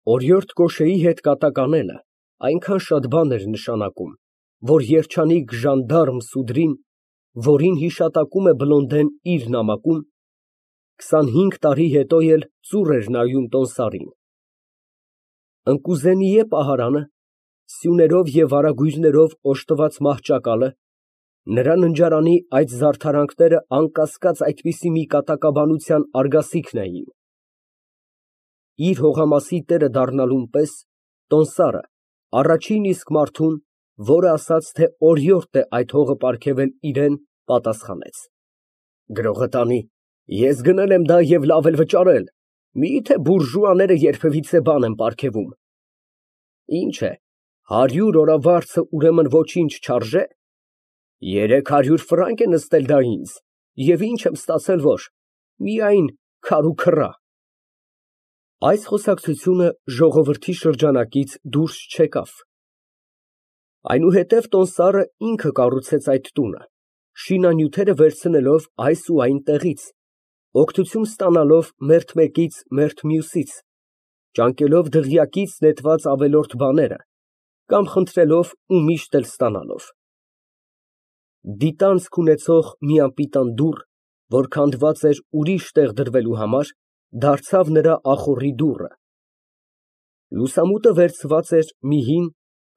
Օրիորդ Կոշեի հետ կատակ անելը այնքան շատ բան էր նշանակում, որ երջանիկ ժանդարմ Սուդրին, որին հիշատակում է Բլոնդեն իր նամակում, 25 տարի հետո էլ ծուռ էր նայում տոմսարին։ Ընկուզենիե պահարանը, սյուներով և վարագույրներով օժտված մահճակալը, նրա ննջարանի այդ զարդարանքները անկասկած այդպիսի մի կատակաբանության արգասիքն էին։ Իր հողամասի տերը դառնալուն պես տոմսարը առաջին իսկ մարդուն, որը ասաց, թե օրիորդ է այդ հողը պարգևել իրան, պատասխանեց. Գրողը տանի, ես գնել եմ դա և լավ էլ վճարել, մի՞թե բուրժուաները երբևիցե բան են պարգևում։ Ինչ է, 100 օրավարձը ուրեմն ոչինչ չարժե։ 300 ֆրանկ է նստել դա ինձ, և ինչ եմ ստացել, որ միայն քար ու քռա։ Այս խոսակցությունը ժողովրդի շրջանակից դուրս չեկավ։ Այնուհետև տոմսարը ինքը կառուցեց այդ տունը, շինանյութերը վերցնելով այս ու այն տեղից, օգնություն ստանալով մերթ մեկից, մերթ մյուսից, ճանկելով դղյակից նետված ավելորդ բաները կամ խնդրելով ու միշտ էլ ստանալով։ Դիտանցք ունեցող մի անպիտան դուռ, որ քանդված էր ուրիշ տեղ դրվելու համար, դարձավ նրա ախոռի դուռը։ Լուսամուտը վերցված էր մի հին,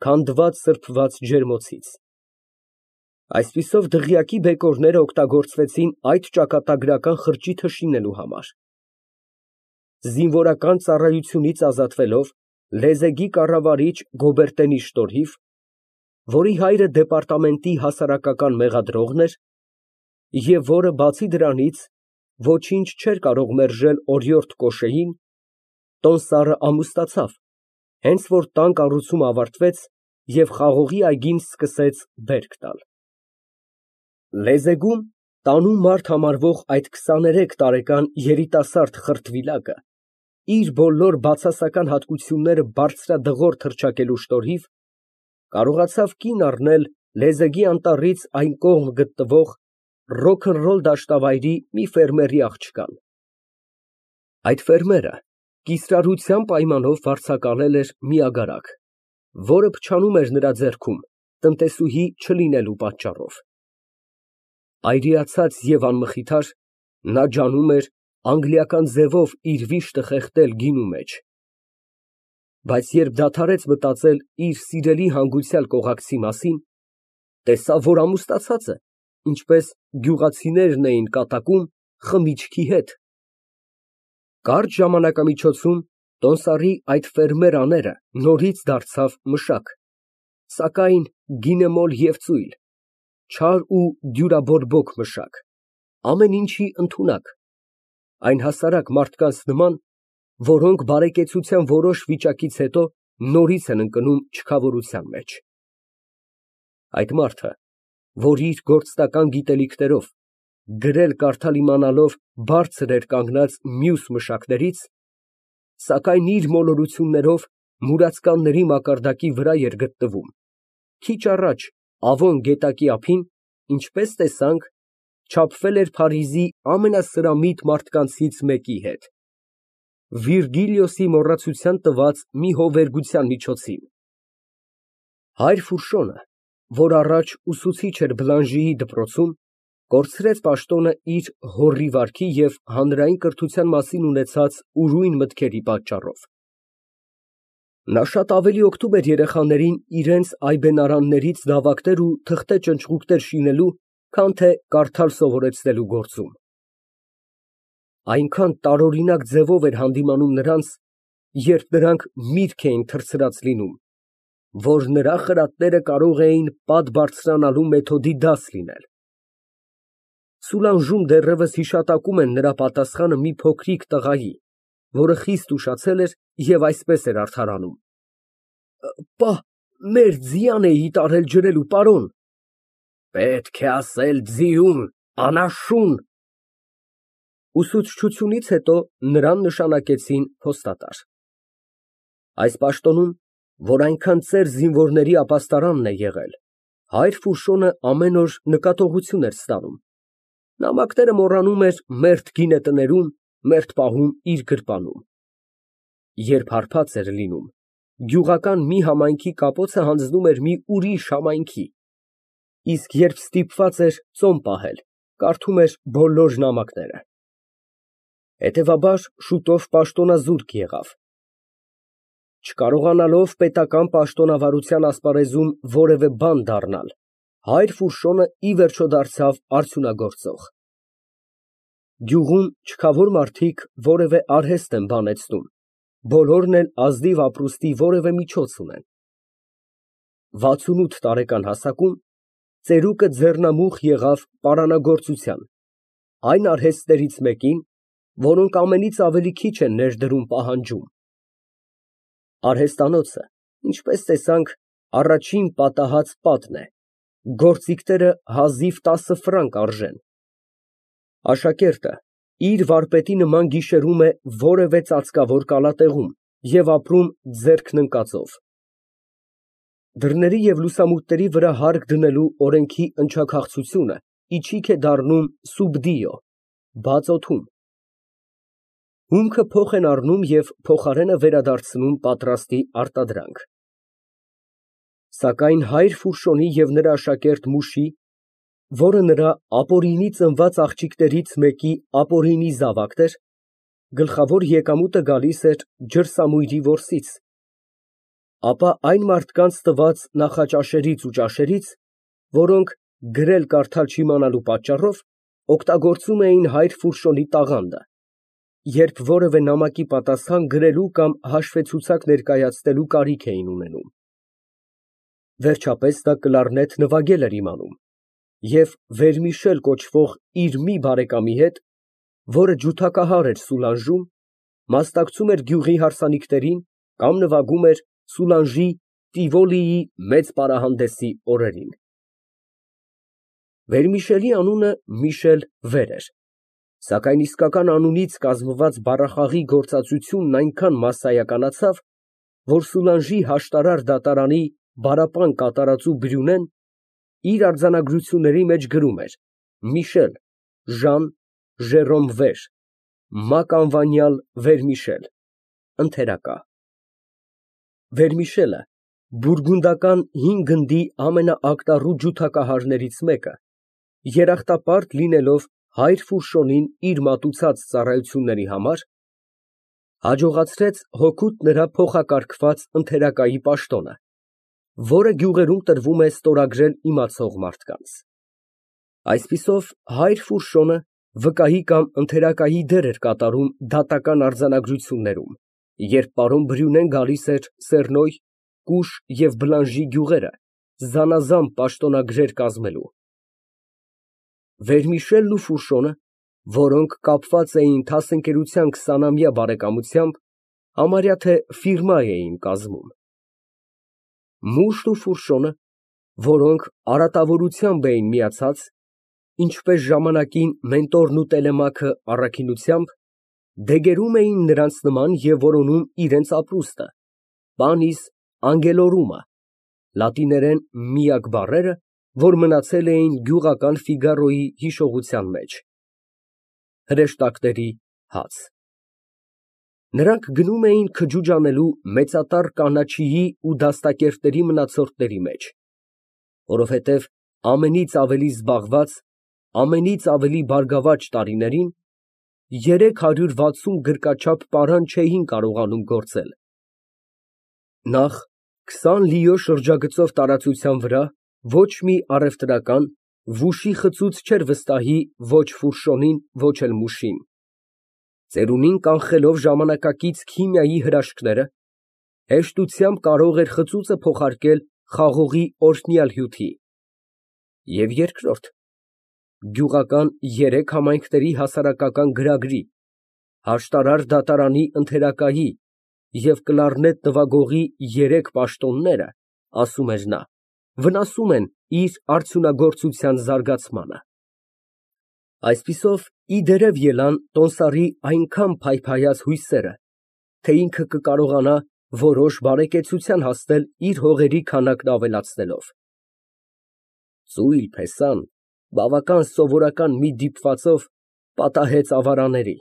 քանդված սրբված ջերմոցից։ Այսպիսով դղյակի բեկորները օգտագործվեցին այդ ճակատագրական խրճիթը շինելու համար։ Զինվորական ծառայությունից ազատվելով, լեզեգի կառավարիչ Գոբերտենի շնորհիվ, որի հայրը դեպարտամենտի հասարակական մեղադրողն էր, և որը բացի դրանից ոչինչ չէր կարող մերժել օրիորդ Կոշեին, տոմսարը ամուսնացավ, հենց որ տան կառուցումը ավարտվեց և խաղողի այգին սկսեց բերք տալ։ Լեզեգում տանում մարդ համարվող այդ 23 տարեկան երիտասարդ խրտվիլակը իր բոլոր բացասական հատկությունները բարձրադղոր թռչակելու շնորհիվ կարողացավ կին առնել լեզեգի անտառից այն կողմ գտնվող ռոքնռոլ դաշտավայրի մի ֆերմերի աղջկան։ Այդ ֆերմերը կիսրարության պայմանով վարձակալել էր մի ագարակ, որը փչանում էր նրա ձեռքում տնտեսուհի չլինելու պատճառով։ Այրիացած և անմխիթար, նա ջանում էր անգլիական ձևով իր վիշտը խեղդել գինու մեջ։ Բայց երբ դադարեց մտածել իր սիրելի հանգուցյալ կողակցի մասին, տեսավ, որ ամուսնացած է, ինչպես գյուղացիներն էին կատակում, խմիչքի հետ։ Կարճ ժամանակամիջոցում տոմսարի այդ ֆերմեր աները նորից դարձավ մշակ, սակայն գինեմոլ և ծույլ, չար ու դյուրաբորբոք մշակ, ամեն ինչի ընդունակ, այն հասարակ մարդկանց նման, որոնք բարեկեցության որոշ վիճակից հետո նորից են ընկնում չքավորության մեջ։ Այդ մարդը, որ իր գործնական գիտելիքներով, գրել֊կարդալ իմանալով բարձր էր կանգնած մյուս մշակներից, սակայն իր մոլորություններով մուրացկանների մակարդակի վրա էր գտնվում, քիչ առաջ Ավոն գետակի ափին, ինչպես տեսանք, չափվել էր Փարիզի ամենասրամիտ մարդկանցից մեկի հետ, Վիրգիլիոսի մոռացության տված մի հովերգության միջոցին։ Հայր Ֆուշոն, որ առաջ ուսուցիչ էր Բլանժիի դպրոցում, կորցրեց պաշտոնը իր հոռի վարքի և հանրային կրթության մասին ունեցած ուրույն մտքերի պատճառով։ Նա շատ ավելի օգնում էր երեխաներին իրենց այբենարաններից դավակներ ու թղթե ճնճղուկներ շինելու, քան թե կարդալ սովորեցնելու գործում։ Այնքան տարօրինակ ձևով էր հանդիմանում նրանց, երբ նրանք միրգ էին թռցրած լինում, որ նրա խրատները կարող էին պատ բարձրանալու մեթոդի դաս լինել։ Սուլանժում դեռևս հիշատակում են նրա պատասխանը մի փոքրիկ տղայի, որը խիստ ուշացել էր և այսպես էր արդարանում. Պա, մեր ձիան էի տարել ջրելու, պարոն։ Պետք է ասել ձիուն, անաշուն։ Ուսուցչությունից հետո նրան նշանակեցին փոստատար։ Այս պաշտոնում, որ այնքան ծեր զինվորների ապաստարանն է եղել, հայր Ֆուշոնը ամեն օր նկատողություն էր ստանում, նամակները մոռանում էր մերթ գինետներում, մերթ պահում իր գրպանում։ Երբ հարբած էր լինում, գյուղական մի համայնքի կապոցը հանձնում էր մի ուրիշ համայնքի, իսկ երբ ստիպված էր ծոմ պահել, կարդում էր բոլոր նամակները։ Հետևաբար շուտով պաշտոնազուրկ եղավ։ Չկարողանալով պետական պաշտոնավարության ասպարեզում որևէ բան դառնալ, հայր Ֆուրշոնը ի վերջո դարձավ արդյունագործող։ Գյուղում չքավոր մարդիկ որևէ արհեստ են բանեցնում, բոլորն էլ ազնիվ ապրուստի որևէ միջոց ունեն։ 68 տարեկան հասակում ծերուկը ձեռնամուխ եղավ պարանագործության, այն արհեստներից մեկին, որոնք ամենից ավելի քիչ են ներդրում պահանջում։ Արհեստանոցը, ինչպես տեսանք, առաջին պատահած պատն է, գործիքները հազիվ 10 ֆրանկ արժեն։ Աշակերտը իր վարպետի նման գիշերում է որևէ ծածկավոր կալատեղում և ապրում ձեռքն ընկածով։ Դռների և լուսամուտների վրա հարկ դնելու օրենքի ընչաքաղցությունը իչիք է դառնում սուբդիո, բաց օդում։ Հումքը փոխ են առնում և փոխարենը վերադարձնում պատրաստի արտադրանք։ Սակայն հայր Ֆուրշոնի և նրա աշակերտ Մուշի, որը նրա ապօրինի ծնված աղջիկներից մեկի ապօրինի զավակն էր, գլխավոր եկամուտը գալիս էր ջրսամույրի որսից, ապա այն մարդկանց տված նախաճաշերից ու ճաշերից, որոնք գրել֊կարդալ չիմանալու պատճառով օգտագործում էին հայր Ֆուրշոնի տաղանդը, երբ որևէ նամակի պատասխան գրելու կամ հաշվեցուցակ ներկայացնելու կարիք էին ունենում։ Վերջապես նա կլարնետ նվագել էր իմանում և Վերմիշել կոչվող իր մի բարեկամի հետ, որը ջութակահար էր Սուլանժում, մասնակցում էր գյուղի հարսանիքներին կամ նվագում էր Սուլանժի Տիվոլիի մեծ պարահանդեսի օրերին։ Վերմիշելի անունը Միշել Վեր էր, սակայն իսկական անունից կազմված բառախաղի գործածությունն այնքան մասսայականացավ, որ Սուլանժի հաշտարար դատարանի բարապան կատարածու Բրյունեն իր արձանագրությունների մեջ գրում էր Միշել Ժան Ժերոմ Վեր, Մակ անվանյալ Վերմիշել, ընթերակա։ Վերմիշելը բուրգունդական հին գնդի ամենաակտառու ջութակահարներից մեկը, երախտապարտ լինելով հայր Ֆուրշոնին իր մատուցած ծառայությունների համար, հաջողացրեց հօգուտ նրա փոխակարգված ընթերակայի պաշտոնը, որը գյուղերում տրվում է ստորագրել իմացող մարդկանց։ Այսպիսով հայր Ֆուրշոնը վկայի կամ ընթերակայի դեր էր կատարում դատական արձանագրություններում, երբ պարոն Բրյունեն գալիս էր Սեռնոյ, Կուշ և Բլանժի գյուղերը զանազան պաշտոնագրեր կազմելու։ Վերմիշելն ու Ֆուրշոնը, որոնք կապված էին դասընկերության 20-ամյա բարեկամությամբ, համարյա թե ֆիրմա էին կազմում։ Մուշն ու Ֆուրշոնը, որոնք արատավորությամբ էին միացած, ինչպես ժամանակին Մենտորն ու Տելեմաքը առաքինությամբ, դեգերում էին նրանց նման և որոնում իրենց ապրուստը, պանիս անգելորումը, լատիներեն միակ բառերը, որ մնացել էին գյուղական Ֆիգարոյի հիշողության մեջ։ Հրեշտակների հաց։ Նրանք գնում էին քջուջ անելու մեծատառ կանաչիի ու դաստակերտների մնացորդների մեջ, որովհետև ամենից ավելի զբաղված, ամենից ավելի բարգավաճ տարիներին 360 գրկաչափ պարան չէին կարողանում գործել։ Նախ 20 լիո շրջագծով տարածության վրա ոչ մի առևտրական վուշի խցուց չէր վստահի ոչ Ֆուրշոնին, ոչ էլ Մուշին։ Ծերունին կանխելով ժամանակակից քիմիայի հրաշքները, հեշտությամբ կարող էր խծուծը փոխարկել խաղողի օրհնյալ հյութի։ Եվ երկրորդ, գյուղական 3 համայնքների հասարակական գրագրի, հաշտարար դատարանի ընթերակայի և կլարնետ նվագողի 3 պաշտոնները, ասում էր նա, վնասում են իր արդյունագործության զարգացմանը։ Այսպիսով, ի դերև ելան տոմսարի այնքան փայփայած հույսերը, թե ինքը կկարողանա որոշ բարեկեցության հասնել իր հողերի քանակն ավելացնելով։ Ծույլ փեսան բավական սովորական մի դիպվածով պատահեց ավարաների։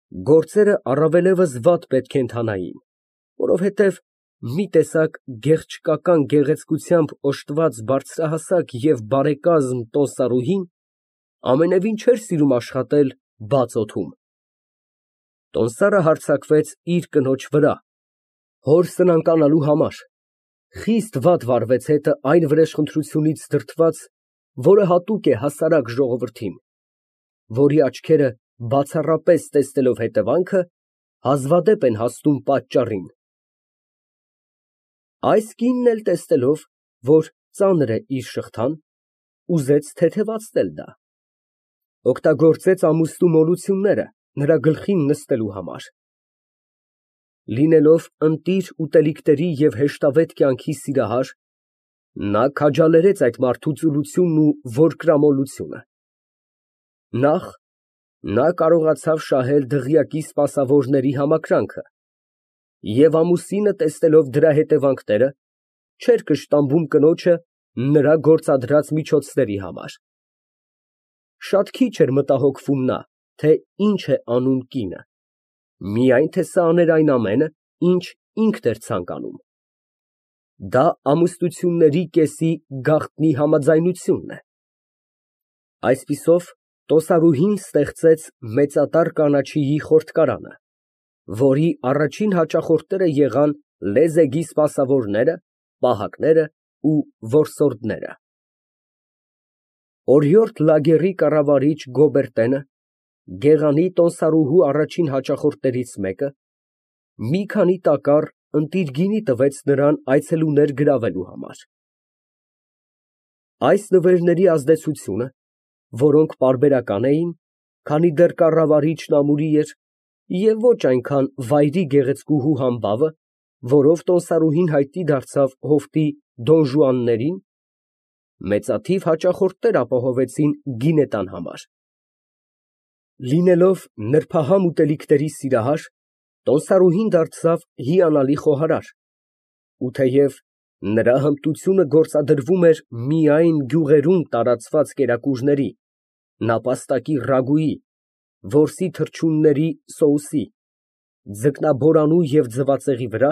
Գործերը առավելևս վատ պետք է ընթանային, որովհետև մի տեսակ գեղչկական գեղեցկությամբ օժտված բարձրահասակ և բարեկազմ տոհստարուհին ամենևին չէր սիրում աշխատել բաց օդում։ Տոհստարը հարձակվեց իր կնոջ վրա, հոր սնանկանալու համար, խիստ վատ վարվեց հետը այն վրեժխնդրությունից դրդված, որը հատուկ է հասարակ ժողովրդին, որի աչքերը բացառապես տեսնելով հետևանքը, հազվադեպ են հասնում պատճառին։ Այս կինն էլ տեսնելով, որ ծանր է իր շղթան, ուզեց թեթևացնել դա, օգտագործեց ամուսնու մոլությունները նրա գլխին նստելու համար։ Լինելով ընտիր ուտելիքների և հեշտավետ կյանքի սիրահար, նա քաջալերեց այդ մարդու ծուլությունն ու որկրամոլությունը։ Նախ նա կարողացավ շահել դղյակի սպասավորների համակրանքը և ամուսինը, տեսնելով դրա հետևանքները, չէր կշտամբում կնոջը նրա գործադրած միջոցների համար։ Շատ քիչ էր մտահոգվում նա, թե ինչ է անում կինը, միայն թե սա աներ այն ամենը, ինչ ինքն էր ցանկանում։ Դա ամուսնությունների կեսի գաղտնի համաձայնությունն է։ Այսպիսով, տոհստարուհին ստեղծեց մեծատար կանաչիի խորտկարանը, որի առաջին հաճախորդները եղան լեզեգի սպասավորները, պահակները ու որսորդները։ Օրիորդ լագերի կառավարիչ Գոբերտենը, Գեղանի տոհստարուհու առաջին հաճախորդներից մեկը, մի քանի տակառ ընտիր գինի տվեց նրան այցելուներ գրավելու համար։ Այս նվերների ազդեցությունը, որոնք պարբերական էին, քանի դեռ կառավարիչն ամուրի էր, և ոչ այնքան վայրի գեղեցկուհու համբավը, որով տոհստարուհին հայտնի դարձավ հովտի դոնժուաններին, մեծաթիվ հաճախորդներ ապահովեցին գինետան համար։ Լինելով նրբահամ ուտելիքների սիրահար, տոհստարուհին դարձավ հիանալի խոհարար, ու թեև նրա հմտությունը գործադրվում էր միայն գյուղերում տարածված կերակուրների, նապաստակի ռագուի, որսի թռչունների սոուսի, ձկնաբորանու և ձվածեղի վրա,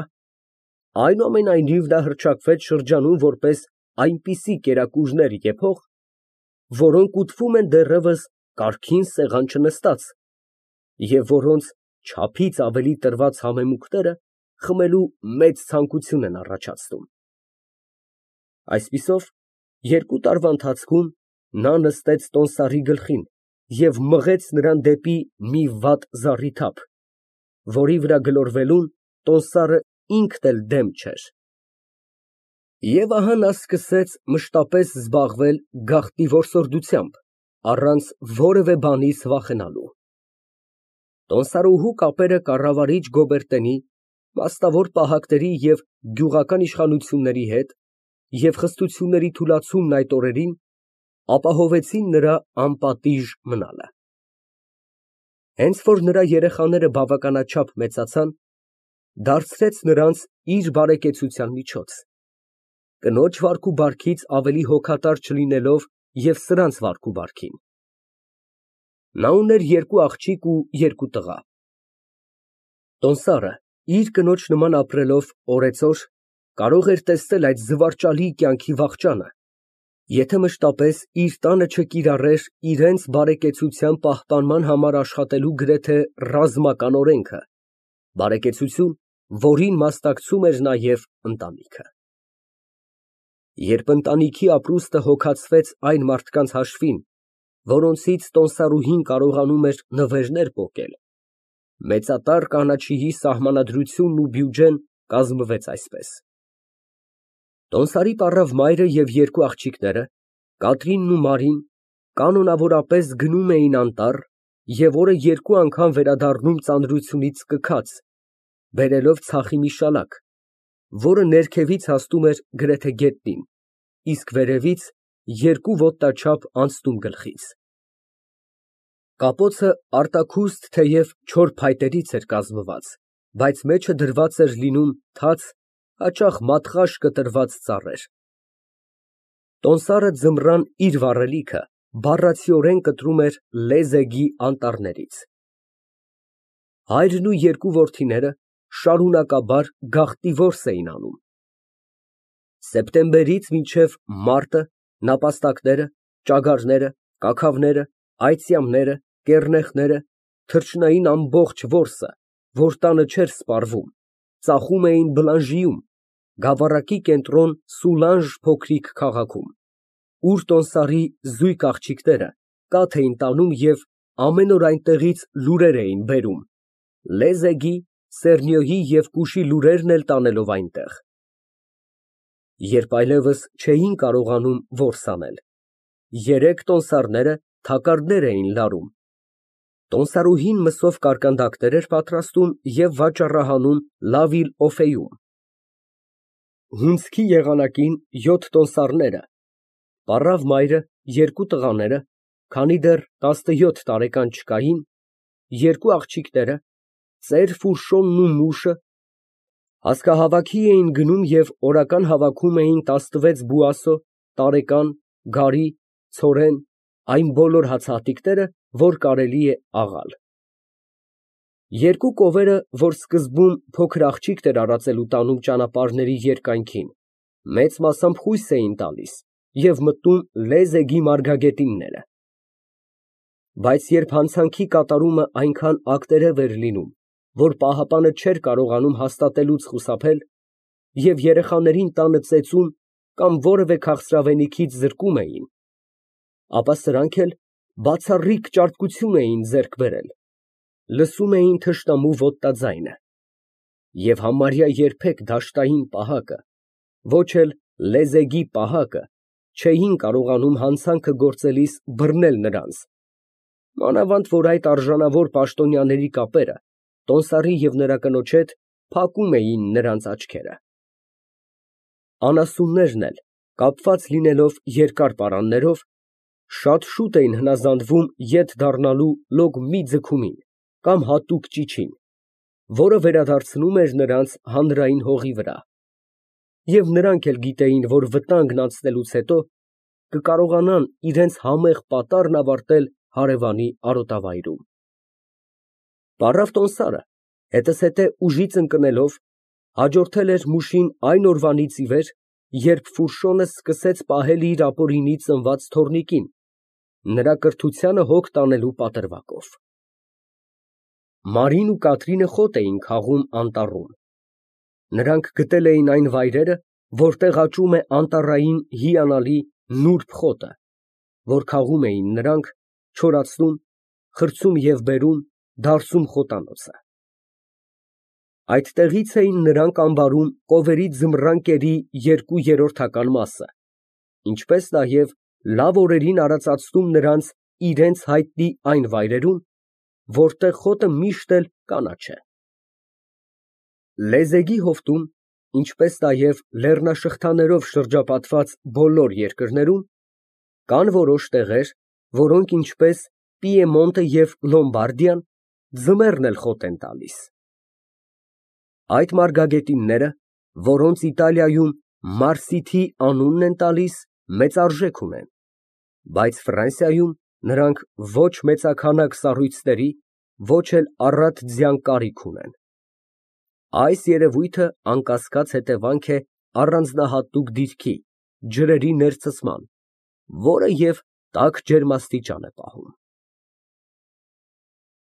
այնուամենայնիվ նա հռչակվեց շրջանում որպես այնպիսի կերակուրներ եփող, որոնք ուտվում են դեռևս կարգին սեղան չնստած և որոնց չափից ավելի տրված համեմունքները խմելու մեծ ցանկություն են առաջացնում։ Այսպիսով, 2 տարվա ընթացքում նա նստեց տոհստարի գլխին և մղեց նրան դեպի մի վատ զառիթափ, որի վրա գլորվելուն տոհստարը ինքն էլ դեմ չէր։ Եվ ահա նա սկսեց մշտապես զբաղվել գաղտնի որսորդությամբ, առանց որևէ բանից վախենալու։ Տոհստարուհու կապերը կառավարիչ Գոբերտենի, մասնավոր պահակների և գյուղական իշխանությունների հետ և խստությունների թուլացումն այդ օրերին ապահովեցին նրա անպատիժ մնալը։ Հենց որ նրա երեխաները բավականաչափ մեծացան, դարձրեց նրանց իր բարեկեցության միջոց, կնոջ վարքուբարքից ավելի հոգատար չլինելով և սրանց վարքուբարքին։ Նա ուներ 2 աղջիկ ու 2 տղա։ Տոհստարը, իր կնոջ նման ապրելով օրեցօր, կարող էր տեսնել այդ զվարճալի կյանքի վախճանը, եթե մշտապես իր տանը չկիրառեր իրենց բարեկեցության պահպանման համար աշխատելու գրեթե ռազմական օրենքը, բարեկեցություն, որին մասնակցում էր նաև ընտանիքը։ Երբ ընտանիքի ապրուստը հոգացվեց այն մարդկանց հաշվին, որոնցից տոհստարուհին կարողանում էր նվերներ պոկել, մեծատար կանաչիի սահմանադրությունն ու բյուջեն կազմվեց այսպես. Տոհստարի պառավ մայրը և 2 աղջիկները, Կատրինն ու Մարին, կանոնավորապես գնում էին անտառ և օրը 2 անգամ վերադառնում ծանրությունից կքած, բերելով ցախի մի շալակ, որը ներքևից հասնում էր գրեթե գետնին, իսկ վերևից 2 ոտնաչափ անցնում գլխից։ Կապոցը արտաքուստ թեև չոր փայտերից էր կազմված, բայց մեջը դրված էր լինում թաց, հաճախ մատղաշ կտրված ծառեր։ Տոհստարը ձմռան իր վառելիքը բառացիորեն կտրում էր լեզեգի անտառներից։ Հայրն ու երկու որդիները շարունակաբար գաղտնի որս էին անում։ Սեպտեմբերից մինչև մարտը նապաստակները, ճագարները, կաքավները, այծյամները, կեռնեխները, թռչնային ամբողջ որսը, որ տանը չէր սպառվում, ծախում էին Բլանժիում, գավառակի կենտրոն Սուլանժ փոքրիկ քաղաքում, ուր տոմսարի զույգ աղջիկները կաթ էին տանում և ամեն օր այնտեղից լուրեր էին բերում, լեզեգի, սերնիոյի և կուշի լուրերն էլ տանելով այնտեղ։ Երբ այլևս չէին կարողանում որս անել, երեք տոմսարները թակարդներ էին լարում, տոմսարուհին մսով կարկանդակներ էր պատրաստում և վաճառահանում Լավիլ֊Օֆեյում։ Հունձքի եղանակին 7 տոմսարները, պառավ մայրը, երկու տղաները, քանի դեռ 17 տարեկան չկային, երկու աղջիկները, ծեր Ֆուռշոնն ու մուշը հասկահավաքի էին գնում և օրական հավաքում էին 16 բուասո, տարեկան, գարի, ցորեն, այն բոլոր հացահատիկները, որ կարելի է աղալ։ Երկու կովերը, որ սկզբում փոքր աղջիկ էր արածելու տանում ճանապարհների երկայնքին, մեծ մասամբ խույս էին տալիս և մտնում լեզեգի մարգագետինները։ Բայց երբ հանցանքի կատարումը այնքան ակտերև էր լինում, որ պահապանը չէր կարողանում հաստատելուց խուսափել և երեխաներին տանը ծեծում կամ որևէ քաղցրավենիքից զրկում էին, ապա սրանք էլ բացառիկ ճարպկություն էին ձեռք բերել, լսում էին թշնամու ոտնաձայնը և համարյա երբեք դաշտային պահակը, ոչ էլ լեզեգի պահակը չէին կարողանում հանցանքը գործելիս բռնել նրանց, մանավանդ որ այդ արժանավոր պաշտոնյաների կապերը տոմսարի և նրա կնոջ հետ փակում էին նրանց աչքերը։ Անասուններն էլ, կապված լինելով երկար պարաններով, շատ շուտ էին հնազանդվում ետ դառնալու լոկ մի ձգումին կամ հատուկ ճիչին, որը վերադարձնում էր նրանց հանրային հողի վրա, և նրանք էլ գիտեին, որ վտանգն անցնելուց հետո կկարողանան իրենց համեղ պատառն ավարտել հարևանի արոտավայրում։ Պառավ տոմսարը, հետզհետե ուժից ընկնելով, հաջորդել էր մուշին այն օրվանից ի վեր, երբ Ֆուռշոնը սկսեց պահել իր ապօրինի ծնված թոռնիկին, նրա կրթությանը հոգ տանելու պատրվակով։ Մարին ու Կատրինը խոտ էին քաղում անտառում։ Նրանք գտել էին այն վայրերը, որտեղ աճում է անտառային հիանալի նուրբ խոտը, որ քաղում էին նրանք, չորացնում, խրցում և բերում, դարսում խոտանոցը։ Այդտեղից էին նրանք ամբարում կովերի ձմռան կերի 2/3 մասը, ինչպես նաև լավ օրերին արածացնում նրանց իրենց հայտնի այն վայրերում, որտեղ խոտը միշտ էլ կանաչ է։ Լեզեգի հովտում, ինչպես նաև լեռնաշղթաներով շրջապատված բոլոր երկրներում, կան որոշ տեղեր, որոնք ինչպես Պիեմոնտը և Լոմբարդիան, ձմեռն էլ խոտ են տալիս։ Այդ մարգագետինները, որոնց Իտալիայում մարսիթի անունն են տալիս, մեծ արժեք ունեն, բայց Ֆրանսիայում նրանք ոչ մեծաքանակ սառույցների, ոչ էլ առատ ձյան կարիք ունեն։ Այս երևույթը անկասկած հետևանք է առանձնահատուկ դիրքի, ջրերի ներծծման, որը և տաք ջերմաստիճան է պահում։